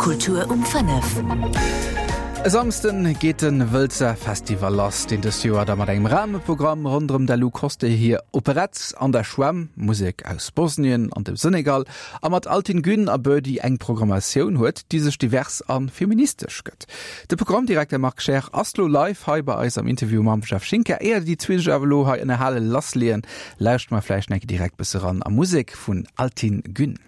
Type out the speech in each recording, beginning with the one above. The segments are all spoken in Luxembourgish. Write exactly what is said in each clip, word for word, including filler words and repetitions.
Kultur um fënnef. E Samsden geet de Wëlzer Festival lass, deen dëst Joer da mat engem Rahmeprogramm ronderëm der Lou Koster hir Operett an der Schwämm, Musek aus Bosnien an dem Senegal a mat Altin Gün a Birdy eng Programmatioun huet, déi sech divers a feministesch gëtt. De Programmdirekter Marc Scheer ass lo live hei bei eis am Interview mam Jeff Schinker. Éier déi zwee sech awer lo hei ënnerhale lassleeën, lauschteren mer vläicht nach direkt bësse ran a Musek vun Altin Gün.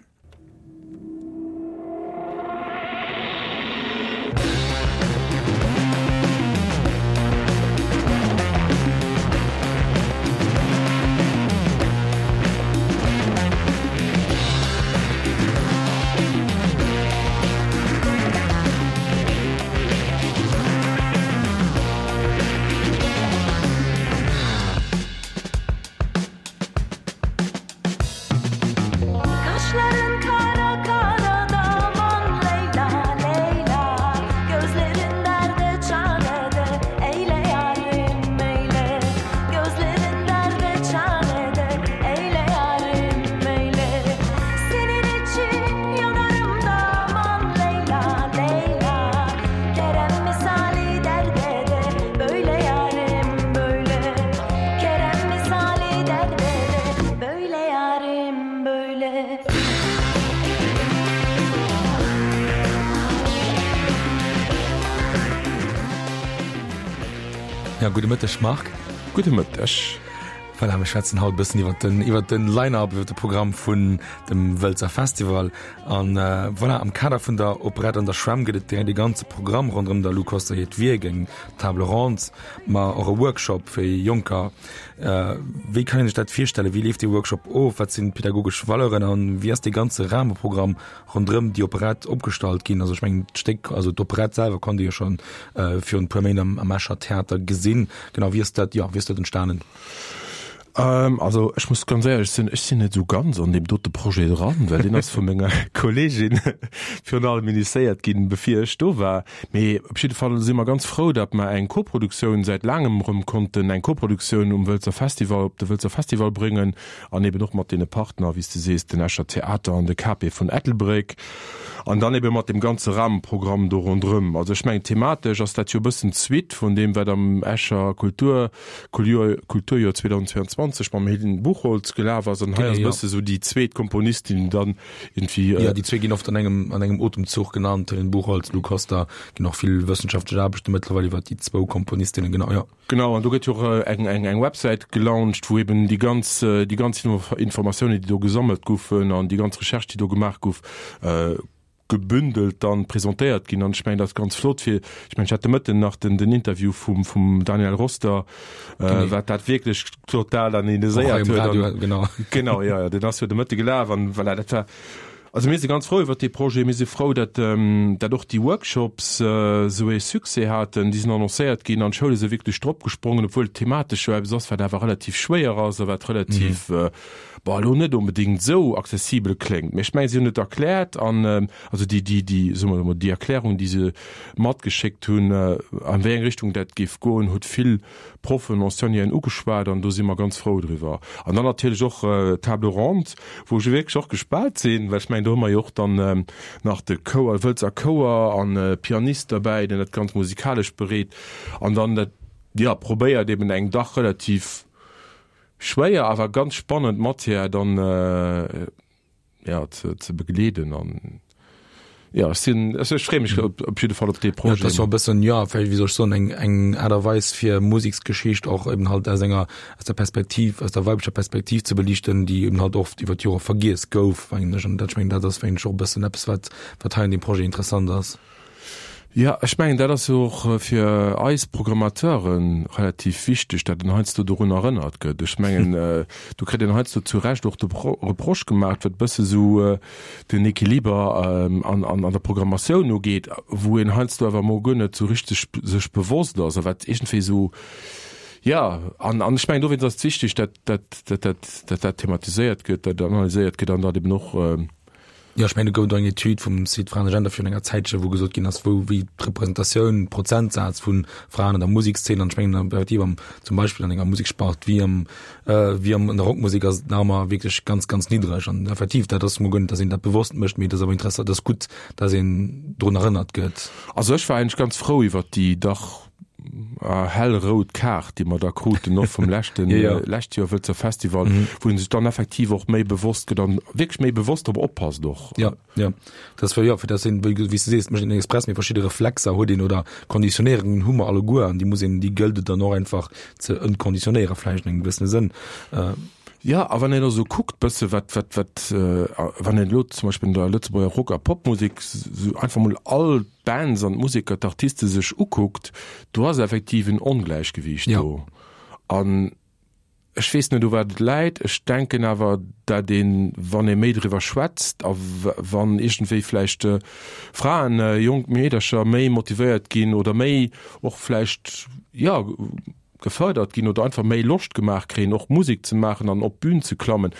Ja, gudde Mëtteg Marc. Gudde Mëtteg. Voilà, mir schwätzen haut bëssen iwwer den iwwer den Line-up, iwwer de Programm vun dem Wëlzer Festival. An äh, voilà, am Kader vun der Operett an der Schwämm gëtt et de ganze Programm ronderëm der Lou Koster hiert Wierk, eng Table ronde, ma och e Workshop fir Jonker. Äh, wéi kann een sech dat virstellen? Wéi leeft dee Workshop of? Wat sinn d'pädagogesch Valeuren an wéi ass dee ganze Rahmeprogramm ronderëm déi Operett opgestallt ginn? Also ech mengen d'Stéck, also d'Operett selwer konnt ee jo schonn äh, virun e puer Méint am, am Escher Theater gesinn. Genau, wéi ass dat, jo, wéi ass dat entstanen? Ähm, also ech muss ganz éierlech sinn, ech sinn net esou ganz an deem dote Projet dran, well deen ass vu menger Kolleegin virun allem initiéiert ginn, bevir ech do war. Mee op jidde Fall si mer ganz frou, datt mer eng Koproduktioun säit laangem erëm konnten eng Koproduktioun um Wëlzer Festival, op de Wëlzer Festival bréngen an eben och mat deene Partner, wéi s de sees, den Escher Theater an de K P vun Ettelbréck. An dann ebe mat deem ganze Rahmenprogramm do ronderëm. Also ech mengen, thematesch ass dat jo e bëssen d'Suite vun deem, wat am Escher Kultur, Kulturjoer zweedausendzweianzwanzeg mam Helene Buchholtz gelaf ass. An hei ass e bësse sou déi zweet Komponistin dann irgendwie. Jo, déi zwee ginn oft an engem, an engem Otemzuch genannt, Helene Buchholtz, Lou Koster. Ginn och vill wëssenschaftlech Aarbechte mëttlerweil iwwer déi zwou Komponistinnen, genau, jo. Genau, an do gëtt jo och eng, eng, eng Websäit gelauncht, wou eben déi ganz, déi ganz Informatiounen, déi do gesammelt goufen an déi ganz Recherche, déi do gemaach gouf, gebündelt dann presentéiert ginn. An ech mengen, dat ass ganz flott fir, ech mengen, ech hat de Mëtten nach den, den Interview vum, vum Daniel Roster, äh, wat dat wierklech total analyséiert huet. Radio, genau. Genau, ja, ja, den ass jo de Mëtte gelaf an voilà, dat war, also mir si ganz frou iwwer dee Projet. Mir si frou, dat, ähm, dat och déi Workshops äh, sou ee Succès haten. Déi sinn annoncéiert ginn an d'Schoule si wierklech drop gesprongen, obwuel et thematesch jo eppes ass, wat awer relativ schwéier ass a wat relativ, mhm. äh, Bon, elo net onbedéngt esou accessibel kléngt, mee ech mengen, si hunn et erkläert an, also déi, déi, déi, soe mer emol, déi Erklärung, déi se matgeschéckt hunn, an wéi eng Richtung dat géif goen, huet vill Proffen, Enseignanten ugeschwat an do si mer ganz frou driwwer. An dann natierlech och d'Table ronde, wou ech wierklech och gespaant sinn, well ech mengen, do hu mer jo och dann nach de Chouer, Wëlzer Chouer an e Pianist derbäi, deen dat Ganzt musikalesch bereet an dann dat, jo, probéiert eben eng dach relativ, Schwéier awer ganz spannend Matière dann ja ze begleeden an ja ech sinn ech freeë mech op jidde Fall op dee Projet. Dat ass jo e bëssen, jo, vläicht, wéi soll ech soen, eng eng Aart a Weis fir Museksgeschicht och eben halt aus enger aus der Perspektiv, aus der weiblicher Perspektiv ze beliichten, déi eben halt oft iwwer d'Jore vergiess gouf, mengen ech. An dat, ech mengen, dat ass mengen ech och e bëssen eppes wat wat hei an deem Projet interessant ass. Jo, ech mengen, dat ass jo och fir eis Programmateure relativ wichteg, datt een heiansdo dorun erënnert gëtt. Ech mengen, do kritt een heiansdo zu Recht och de Reproche gemaach, wat e bësse sou den Equiliber an der Programmatioun ugeet, wou een heiansdo awer emol guer net sou richteg sech bewosst ass a wat iergendwéi sou, jo, an ech mengen, dowéinst ass et wichteg, datt dat, datt dat, datt dat thematiséiert gëtt, datt analyséiert gëtt an datt eben och, Jo, ech mengen, do gouf et och eng Etüd vum Site Fraen a Gender virun enger Zäitche, wou gesot ginn ass, wou wéi d'Representatioun, Prozentsaz vu Fraen an der Musekszeen, an ech mengen effektiv am, zum Beispill an enger Musekspart wéi am, wéi am, an der Rockmusek ass et nach ëmmer wierklech ganz, ganz niddreg. An effektiv, dat ass mol guer net, datt een dat bewosst mécht, mee et ass awer interessant, et ass gutt, datt een drun erënnert gëtt. Also ech war eigentlech ganz frou iwwert déi dach hellrout Kaart, déi mer da kruten, och vum leschten, ja, ja. lescht Joer Wëlzer Festival, mhm. wou een sech dann effektiv och méi bewosst gëtt an wierklech méi bewosst drop oppasst och. Ja, ja. Das war, ja, fir dass een, wéi wéi s du sees, mécht een express, mee verschidde Reflexer huet een oder Konditionéierungen hu mer alleguer an déi muss een, déi gëllt et dann och einfach ze entkonditionéiere vläicht an engem gewëssene Sënn. Äh, Ja, a wann een elo sou kuckt bësse wat, wat, wat, wann een elo zum Beispill an der Lëtzebuerger Rock a Popmusek sou einfach mol all d'Bands an d'Museker, d'Artiste sech ukuckt, do ass effektiv en Ongläichgewiicht do. An ech weess net u wat et läit, ech denken awer, dat een, wann ee méi driwwer schwätzt a wann iergendwéi vläicht Fraen, jonk Meedercher méi motivéiert ginn oder méi och vläicht, jo, gefërdert ginn oder einfach méi Loscht gemaach kréien, och Musek ze maachen an op d'Bün ze klammen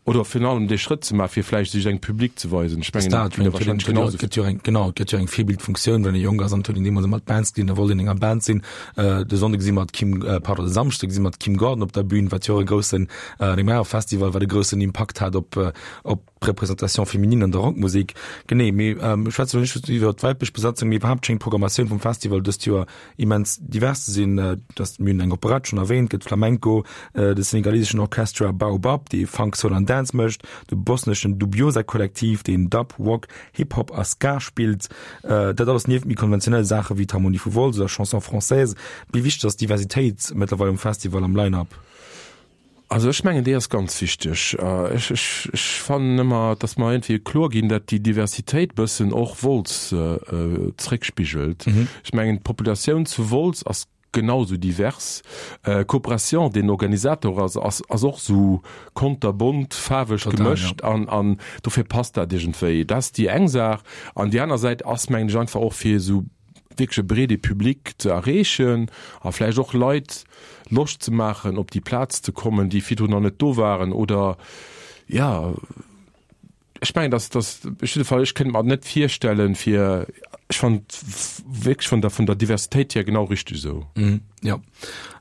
oder virun allem dee Schrëtt ze maachen, fir vläicht sech engem Public ze weisen. Ech mengen, dat gëtt wahrscheinlech genau esou. Gëtt jo eng, genau, et gëtt jo eng Virbildfunktioun, wann ee jonk ass an et huet een deemools ëmmer d'Bands gesinn, da wollt een an enger Band sinn. De Sonnde gesi mer d'Kim, pardon, de Samschde gesi mer d'Kim Gordon op der Bün, wat jo och e groussen, an engem anere Festival, wat e groussen Impakt hat op, op d'Représentation féminine an der Rockmusek. Genee, mee ech schwätze elo net just iwwer d'weiblech Besatzung, mee iwwerhaapt schéngt d'Programmatioun vum Festival dëst Joer immens divers ze sinn. Dass, mir hunn eng Operett schonn erwähnt, gëtt Flamenco, de senegaleseschen Orchestra Baobab, dee Funk, Soul an Dance mécht, de bosneschen Dubioza Kolektiv, deen Dub, Rock, Hip Hop a Ska spillt. Dat alles nieft méi konventionelle Saache wéi d'Harmonie vu Wolz oder Chanson Française. Wéi wichteg ass d'Diversitéit mëttlerweil um Festival am Line-Up? Also ech mengen, déi ass ganz wichteg. Ech, ech, ech fannen ëmmer, dass mer iergendwéi kloer ginn, dat déi Diversitéit bëssen och Wolz zréckspigelt. Ech mengen, d'Populatioun zu Wolz ass genau esou divers. Coopération, deen Organisator ass, ass, ass och esou konterbont, faarweg gemëscht an, an dofir passt dat iergendwéi. Dat ass déi eng Saach. An déi aner Säit ass, mengen ech, einfach och fir esou wierklech e breede Public ze erreechen a vläicht och Leit Loscht ze maachen, op déi Plaz ze kommen, déi virdrun nach net do waren oder, jo, ech mengen, dass, dass, op jidde Fall, ech kéint mer net virstellen, fir, ech fannen et wierklech vun der, vun der Diversitéit hier genau richteg esou. Jo.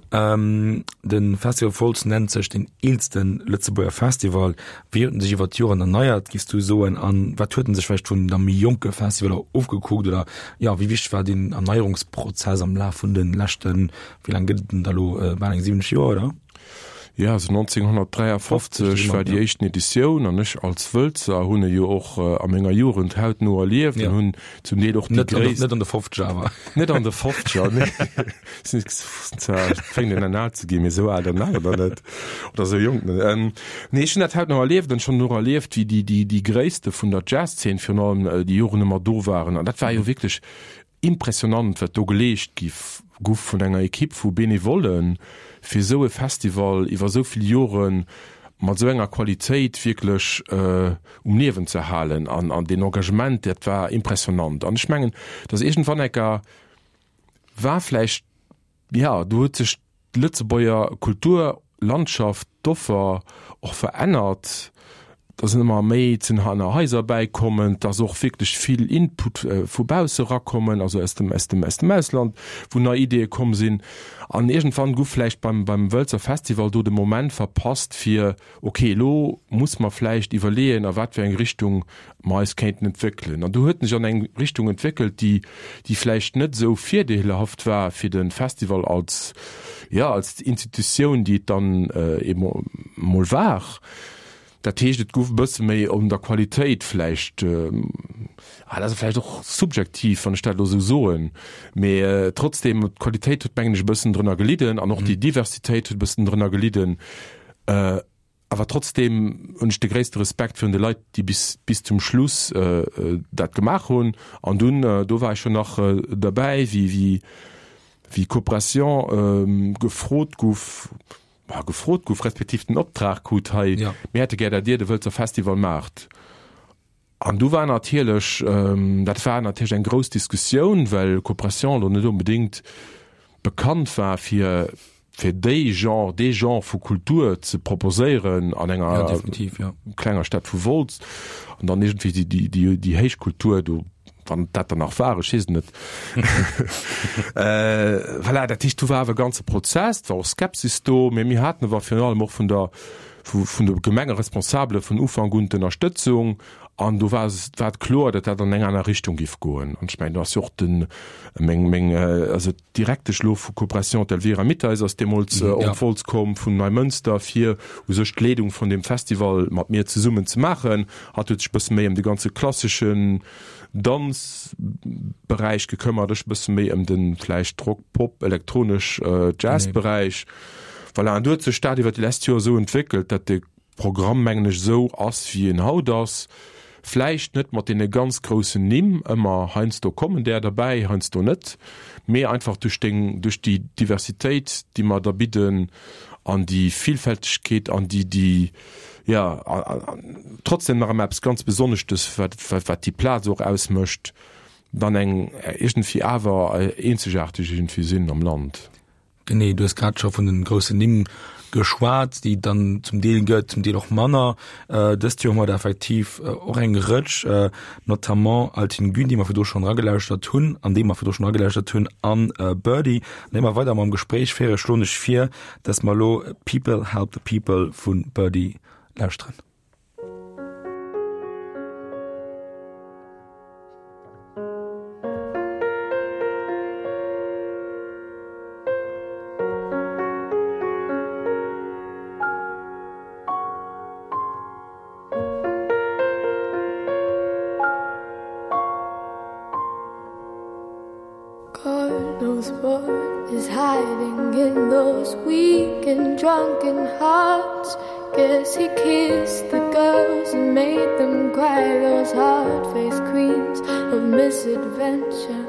De Festival Wolz nennt sech den eelste Lëtzebuerger Festival. Wéi huet en sech iwwer d'Joren erneiert, giffs du soen? An wat huet en sech vläicht vun da méi jonke Festivaler ofgekuckt? Oder jo, wéi wichteg war deen Erneierungsprozess am Laf vun de leschten, wéi laang gëtt et en da lo, bal eng siwwenzeg Joer, oder? Jo, also nonzénghonnertdräiafofzeg war déi éischten Editioun an ech als Wëlzer hunn e jo och a menger Jugend hautno erlieft an hunn zum Deel och déi gréisst. Net an de Fofzeger awer. Net an de Fofzeger, nee. Zwar fänkt een un al ze ginn, mee esou al dann awer nach net oder esou jonk net. Nee, ech hunn dat hautno erlieft an ech hunn och erlieft, wéi déi, déi, déi Gréisste vun der Jazzszen virun allem déi Joren ëmmer do waren an dat war jo wierklech Impressionant wat do geleescht gi guff vun enger Equipe vu Benevollen fir esou e Festival iwwer esou vill Jore mat esou enger Qualitéit wierklech um Liewen ze halen an an deen Engagement dat war impressionant an ech mengen datt iergendwann enker war vläicht jo do huet sech d'Lëtzebuerger Kulturlandschaft, d'Offer och verännert, da sinn ëmmer méi Zenhaner Haiser bäikommen, et ass och wierklech vill Input vu bausse erakommen, also aus dem, aus dem, aus dem Ausland, wou nei Ideeë komm sinn. An iergendwann guff vläicht beim, beim Wëlzer Festival do de Moment verpasst fir, ok, elo muss mer vläicht iwwerleeën, a wat fir eng Richtung mer eis kéinten entwéckelen. An do huet en sech an eng Richtung entwéckelt, déi, déi vläicht net esou virdeelhaft war fir de Festival als, jo, als Institutioun, déi et dann eemol war. Dat heescht, et gouf e bësse méi un der Qualitéit vläicht, ah, dat ass vläicht och subjektiv, wann ech dat elo esou soen, mee trotzdem, d'Qualitéit huet, mengen ech, e bëssen drënner gelidden an och déi Diversitéit huet e bëssen drënner gelidden. Awer trotzdem hunn ech de gréisste Respekt virun de Leit, déi bis, bis zum Schluss dat gemaach hunn. An dunn, do war ech jo nach derbäi, wéi, wéi, wéi Coopération gefrot guff, ma gefrot guff, respektiv den Optrag krut, hei, mir hätte gär, dat Dir de Wëlzer Festival maacht. An du war natierlech, dat war natierlech eng grouss Diskussioun, well Coopération elo net onbedéngt bekannt war fir fir déi Genre, dee Genre vu Kultur ze proposéieren an enger Ja, definitiv, ja. klenger Stad vu Wolz an dann iergendwéi déi, déi, déi, déi héich Kultur do, wann dat dann nach war, ech weess et net. Äh, voilà, dat heescht, do war awer e ganze Prozess, et war och Skepsis do, mee mir haten awer virun allem och vun der, vu, vun de Gemengeresponsabele vun Ufank un d'Ënnerstëtzung an do war es, war et kloer, datt dat an eng aner Richtung giff goen. An ech mengen, do ass jo och den, meng, meng, also d'Direktesch elo vu Coopération, d'Elvira Mitteis ass deemools Mhm, op ja. Wolz komm vun Neimënster, fir u sech d'Leedung vun deem Festival mat mir zesummen ze maachen. Hatt huet sech e bësse méi ëm de ganze klasseschen Danzberäich gekëmmert, ech e bësse méi ëm de vläicht Rock, Pop, elektronesch, Jazz-Beräich. Voilà, an du huet sech dat iwwer déi lescht Joer esou entwéckelt, datt de Programm, mengen ech, esou ass, wéi en haut ass. Vläicht net mat deene ganz groussen Nimm ëmmer, heiansdo kommen där derbäi, heiansdo net, mee einfach duerch deng, duerch déi Diversitéit, déi mer da bidden an déi Villfältegkeet an déi, déi, jo, an trotzdem nach ëmmer eppes ganz Besonneschtes, wat, wat, wat déi Plaz och ausmécht, dann eng iergendwéi awer eenzegaarteg iergendwéi sinn am Land. Genee, du hues grad scho vun de groussen Nimm geschwat, déi et dann zum Deel gëtt, zum Deel och manner. Dëst Joer hu mer der effektiv och eng Rëtsch, notamment Altin Gün, déi mer virdru schonn eragelauschtert hunn, an déi mer virdru schonn eragelauschtert hunn, an Birdy. An éier mer weider mam Gespréich féieren, schloen ech vir, dass mer elo People Help the People vu Birdy lauschteren. God knows what is hiding in those weak and drunken hearts. Guess he kissed the girls and made them cry those hard-faced queens of misadventure.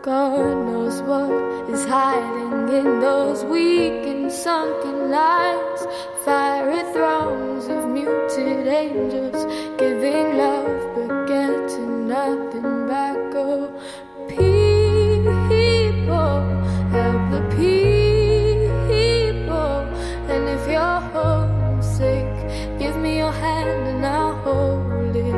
God knows what is hiding in those weak and sunken eyes. Fiery throngs of muted angels giving love but getting nothing back. Oh, people help the people. And if you're homesick, give me your hand and I'll hold it.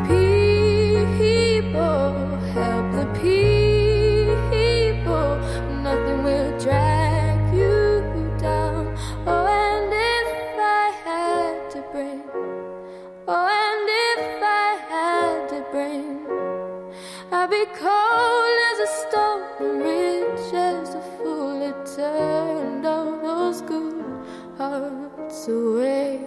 People help the people. Nothing will drag you down. Oh, and if I had to bring, oh, and if I had to bring, I'd be cold as a stone and rich as a fool that turned all those good hearts away.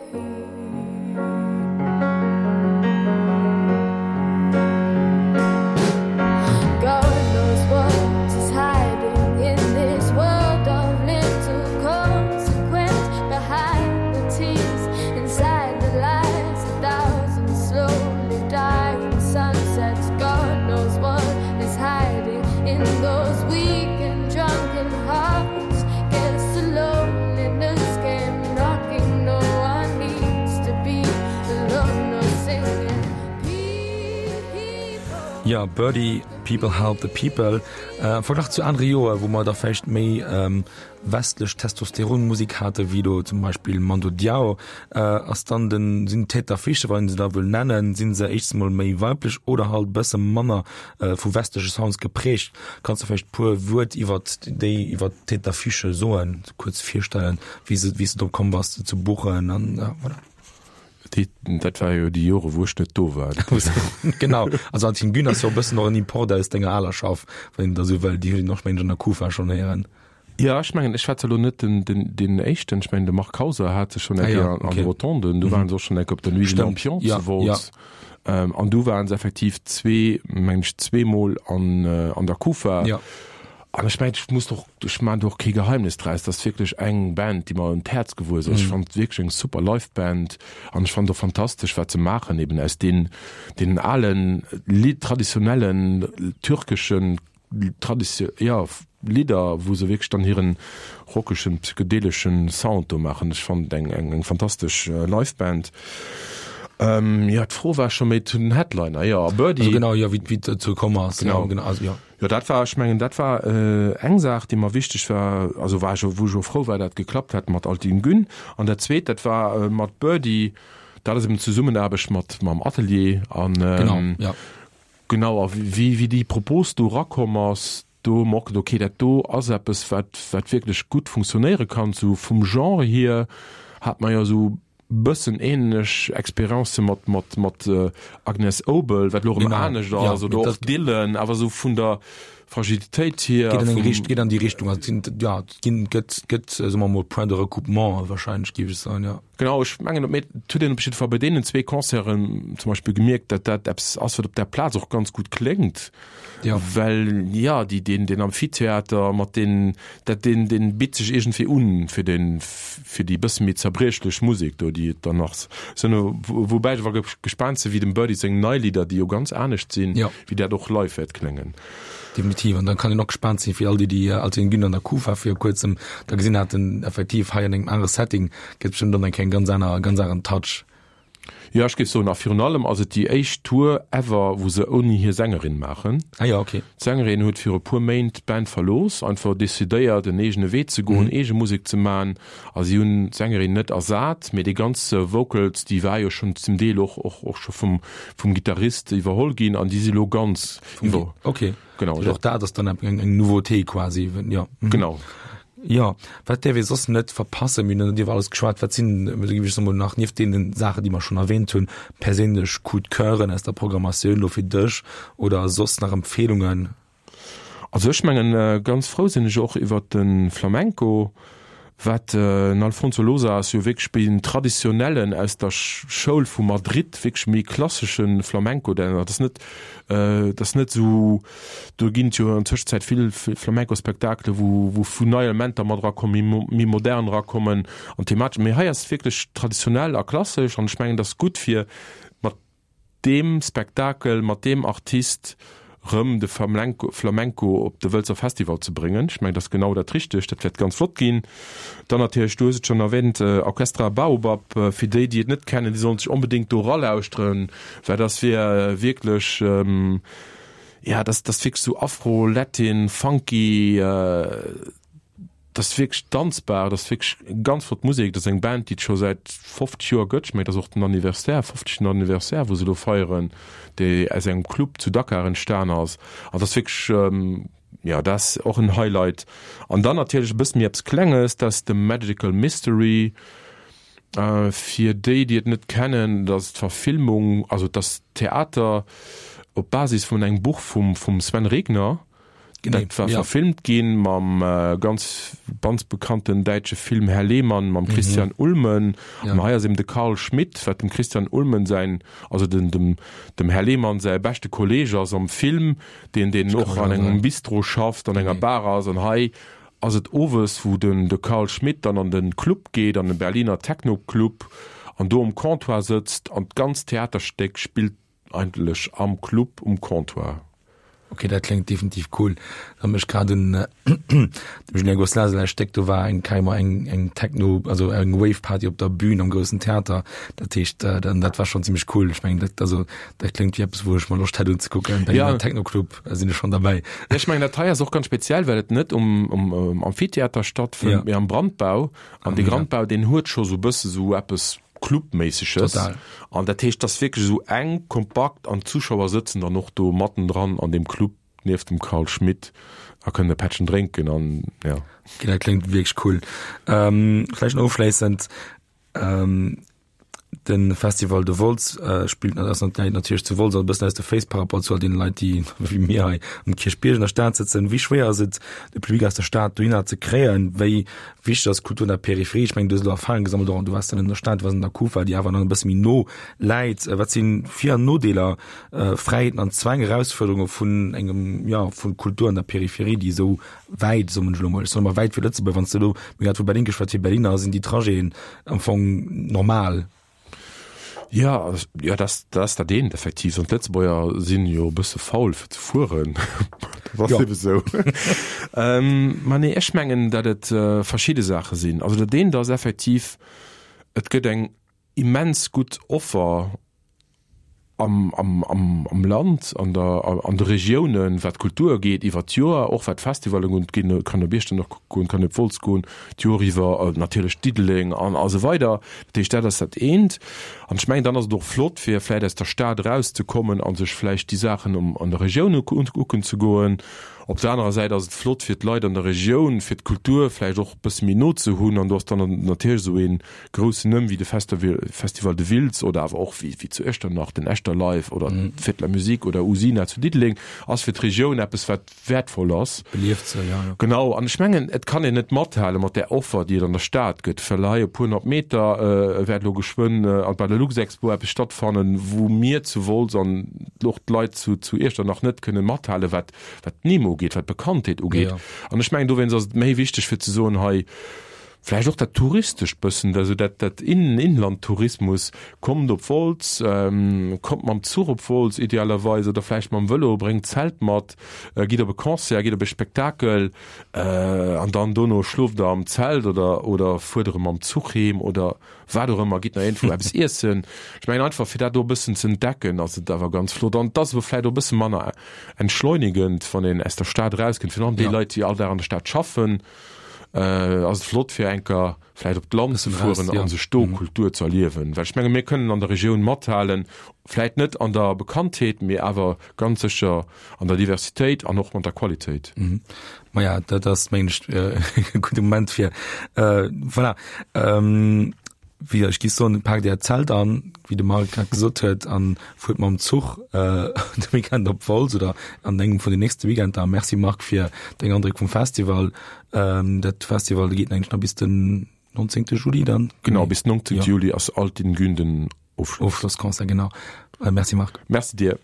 God knows what is hiding in this world of little consequence. Behind the tears, inside the lies, a thousand slowly dying sunsets. God knows what is hiding in those weak and drunken hearts. Guess the loneliness came knocking. No one needs to be alone or singing. People. Ja, Birdy, People Help the People. Am Verglach zu anere Joer, wou mer da vläicht méi westlech Testosteronmusik hate wéi do zum Beispill Mando Diao, ass dann den, sinn d'Tête d'affiche, wann een se da wëll nennen, si se éischtens emol méi weiblech oder halt e bësse manner vu westleche Sounds geprägt. Kanns de vläicht e puer Wuert iwwert déi, iwwert d'Tête d'affiche soen, kuerz virstellen, wéi se, wéi s de drop komm bass, se ze buchen an voilà. Déi, dat war jo déi Jore wou ech net do war. Genau, also Altin Gün ass jo e bëssen och en Import aus denger aler Schaff, wann een da sou wëll, déi hunn een och mengen ech an der Kufa schonn héieren. Ja, ech mengen, ech war zwar elo net den, den, deen éischten, ech mengen de Marc Hauser hat se schonn eng Ah ja, Kéier an, an okay. de Rotonden, do waren se och schonn eng Kéier op der Nuit des Stimmt, Lampions ja, zu Wolz. ja. Ähm, an du waren se effektiv zwee, mengen ech, zweemol an, an der Kufa. Ja. An ech mengen, ech muss doch, ech maachen do och kee Geheimnis draus, dat ass wierklech eng Band, déi mer un d'Häerz gewuess ass. Ech fannen et wierklech eng super Live-Band an ech fannen et och fantastesch, wat se maachen, eben aus den, deenen alen, traditionellen türkeschen Traditio, jo, Lidder, wou se wierklech dann hiren rockeschen, psychedeleschen Sound do maachen. Ech fannen et eng, eng, eng fantastesch Live-Band. Ähm, jo, d'Fro war scho méi zu den Headliner, jo, Birdy. Also genau, jo, wéi wéi et dozou komm ass. Genau. Jo, genau, also jo. Jo, dat war, ech mengen, dat war eng Saach, déi mer wichteg war, also war ech, wou ech och frou war, dat geklappt hat mat Altin Gün. An dat Zweet, dat war mat Birdy, dat ass eben d'Zesummenaarbecht mat mam Atelier an, Genau, jo. genau, a wéi wéi déi Propos do erakomm ass, do hu mer och gesot, okay, dat do ass eppes, wat wat wierklech gutt funktionéiere kann. Sou vum Genre hier hat mer jo esou bëssen ähnlech Expériencë mat mat mat Agnes Obel, wat elo erëm anescht ass, oder och Dylan, awer esou vun der Fragilitéit hier. Geet an eng Richt, geet an déi Richtung, also sinn, ja, et ginn, gëtt, gëtt, soe mer mol, Points de recoupement wahrscheinlech, géif ech soen, ja. Genau, ech mengen, mee et huet een op jidde Fall bei deenen zwee Concerten zum Beispill gemierkt, datt dat eppes ass, wat op där Plaz och ganz gutt kléngt. Ja. Well, ja, déi, deen, deen Amphitheater mat deen, dat, deen, deen bitt sech iergendwéi un fir deen, fir déi bësse méi zerbriechlech Musek do, déi et dann nach sinn. Woubäi ech awer gespaant sinn, wéi dem Birdy seng nei Lidder, déi jo ganz anescht sinn, Ja. wéi dat och live wäert kléngen. Definitiv. An dann kann een och gespaant sinn, fir all déi, déi Altin Gün an der Kufa vir kuerzem da gesinn haten, effektiv hei an engem anere Setting gëtt bestëmmt dann eng Kéier en ganz aner, ganz aneren Touch. Jo, ech géif soen, a virun allem ass et déi éischt Tour ever, wou se ouni hir Sängerin maachen. Ah jo, ok. D'Sängerin huet viru puer Méint d'Band verlooss, einfach decidéiert en eegene Wee ze goen, eege Musek ze man. A si hunn d'Sängerin net ersat, mee déi ganz Vocals, déi war jo schonn zum Deel och och och scho vum vum Gittarist iwwerholl ginn an déi si lo ganz iwwer. Ok. Genau. Och dat ass dann eng eng Nouveauté quasi, jo. Genau. Jo, wat däerf ee soss net verpassen? Mir hunn iwwer alles geschwat. Wat sinn, da géif ech soen, mol nach nieft deene Saachen, déi mer schonn erwähnt hunn, perséinlech Coup de Coeuren aus der Programmatioun elo fir dech oder soss nach Empfehlungen? Also ech mengen, ganz frou sinn ech och iwwert de Flamenco, wat den Alfonso Losa ass jo wierklech méi den traditionellen aus der Schoul vu Madrid, wierklech méi klassesche Flamenco, dat ass net, dat ass net esou, do ginn et jo an Tëschenzäit vill Flamenco-Spektakele wou wou vu nei Elementer mat erakommen, méi méi modern erakommen an thematesch, mee hei ass et wierklech traditionell a klassesch an ech mengen, dat ass gutt fir mat deem Spektakel, mat deem Artist rëm de Flamenco op de Wëlzer Festival ze bréngen. Ech mengen, dat ass genau dat Richtegt. Dat wäert ganz flott ginn. Dann natierlech, du hues et schonn erwähnt, Orchestra Baobab. Fir déi, déi et net kennen, déi sollen sech onbedéngt do eralauschteren, well dat wier wierklech, jo, dat ass wierklech esou Afro, Latin, Funky, Dat ass wierklech danzbar, dat ass wierklech ganz flott Musek. Dat ass eng Band, déi et scho säit fofzeg Joer gëtt. Ech mengen, dat ass och den Anniversaire, fofzegten Anniversaire, wou se elo feieren, déi aus engem Club zu Dakar entstan ass. An dat ass wierklech, jo, dat ass och en Highlight. An dann natierlech e bësse méi eppes Klenges, dat ass de Magical Mystery. Fir déi, déi et net kennen, dat ass d'Verfilmung, also et ass Theater op Basis vun engem Buch vum Sven Regner. Dat war verfilmt ginn mam ganz ganz bekannten däitsche Film Herr Lehmann mam Christian Ulmen. An hei ass eben de Carl Schmitt, wat dem Christian Ulmen säin, also den dem dem Herr Lehmann säi beschte Kolleeg ass am Film, deen deen och an engem Bistro schafft, an enger Bar ass. An hei ass et owes, wou den de Carl Schmitt dann an den Club geet, an den Berliner Techno-Club, an do um Comptoir sëtzt an d'ganzt Theaterstéck spillt eigentlech am Club um Comptoir. Ok, dat kléngt definitiv cool. Dat mécht grad un dem Julien Gosselin säi Stéck, do war eng keimer eng eng Techno, also eng Wave Party op der Bühn am groussen Theater. Dat heescht dann dat war schon zimmlech cool. Ech mengen dat also dat kléngt wéi eppes wou ech mer Loscht hätt unzekucken. Bei engem Techno Club sinn ech schon derbäi. Ja, ech mengen dat hei ass och ganz speziell, well et net um um Amphitheater stattfënnt, mee am Brandbau. An dee Brandbau deen huet scho sou bësse sou eppes Clubméisseges. Total. An dat heescht, et ass wierklech esou enk, kompakt an d'Zuschauer sëtzen dann och do mattendran an deem Club nieft dem Carl Schmitt a kënnen e Pättchen drénken an ja. Okay, dat kléngt wierklech cool. Vläicht nach ofschléissend, De Festival de Wolz spillt ass natierlech zu Wolz, also e bëssen aus de Féiss par rapport zu all deene Leit, déi wéi mir hei um Kierchbierg an der Stad sëtzen. Wéi schwéier ass et, de Public aus der Stad dohinner ze kréien? Wéi wichteg ass Kultur an der Peripherie? Ech mengen, du hues elo Erfahrung gesammelt, och du waars dann an der Stad, du waars an der Kufa, déi awer nach e bësse méi no läit. Wat si Vir an Nodeeler, Fräiheeten an Zwäng, Erausfuerderunge vun engem, jo, vu Kultur an der Peripherie, déi esou wäit, soen ech elo mol, ech soen ëmmer wäit fir Lëtzebuerg, wann s de elo, mir hu grad vu Berlin geschwat, fir Berliner sinn déi Trajeten am Fong normal. Jo, jo, dat dat ass dat eent effektiv. An d'Lëtzebuerger sinn jo e bësse faul fir ze fueren. Dat ass ebe sou. Mä nee, ech mengen, datt et verschidde Saache sinn. Also dat eent ass effektiv, et gëtt eng immens gutt Offer am, am, am, am Land, an der, an de Regiounen, wat d'Kultur ugeet, iwwer d'Joer, och wat d'Festivallen ugeet, kann op Iechternach goen, kann op Wolz goen, d'Joer iwwer, natierlech Diddeleng an a sou weider. Dat heescht, dat ass dat eent. An ech mengen, dann ass et och flott, fir vläicht aus der Stad erauszekommen a sech vläicht déi Saachen um, an der Regioun ukucken ze goen. Op der anerer Säit ass et flott fir d'Leit an der Regioun, fir d'Kultur vläicht och e bësse méi no ze hunn. An do ass dann natierlech esou ee groussen Numm wéi de Festival de Wiltz oder awer och wéi zu Iechternach den Echterlive oder d'Fête de la Musique oder Usina zu Diddeleng ass fir d'Regioun eppes wat wäertvoll ass. Belieft se, jo, jo. Genau. An ech mengen, et kann een net mathale mat där Offer, déi et an der Stad gëtt, well hei e puer honnert Meter wäert elo geschwënn bei der Luxexpo eppes stattfannen, wou mir zu Wolz an och d'Leit zu Iechternach net kënnen mathalen, wat wat d'Nimm ugeet, wat d'Bekanntheet ugeet. An ech mengen, dowéinst ass et méi wichteg fir ze soen, hei vläicht och dat Touristescht bëssen, also dat dat Inlandtourismus, kommt op Wolz, kommt mam Zuch op Wolz idealerweis oder vläicht mam Vëlo, bréngt d'Zelt mat, gitt op e Concert, gitt op e Spektakel an dann dono schloft Der am Zelt oder oder fuert erëm mam Zuch heem oder wat och ëmmer, gitt nach iergendwou eppes iessen. Ech mengen einfach, fir dat do e bëssen ze entdecken, ass et awer ganz flott. An et ass awer vläicht och e bësse manner entschleunigend, wann een aus der Stad erauskënnt, virun allem déi Leit, déi all Dag an der Stad schaffen, ass et flott, fir eng Kéier vläicht op d'Land ze fueren a sech do Kultur ze erliewen. Well ech menge mir kënnen an der Regioun mathalen, vläicht net an der Bekanntheet, mee awer ganz sécher an der Diversitéit an och mat der Qualitéit. Maja, dat ass, mengen ech, e gudde Moment fir, voilà, wéi ech gi soen, paakt Äert Zelt an, wéi de Marc grad gesot huet, a fuert mam Zuch de Weekend op Wolz oder an engem vun den nächste Weekender. Merci Marc fir deng Andréck vum Festival. Dat Festival geet eigentlech nach bis den neunzehnte Juli dann. Genau, bis den neunzehnte Juli ass Altin Gün den Ofschloss. Ofschlossconcert, genau. Merci Marc. Merci dir.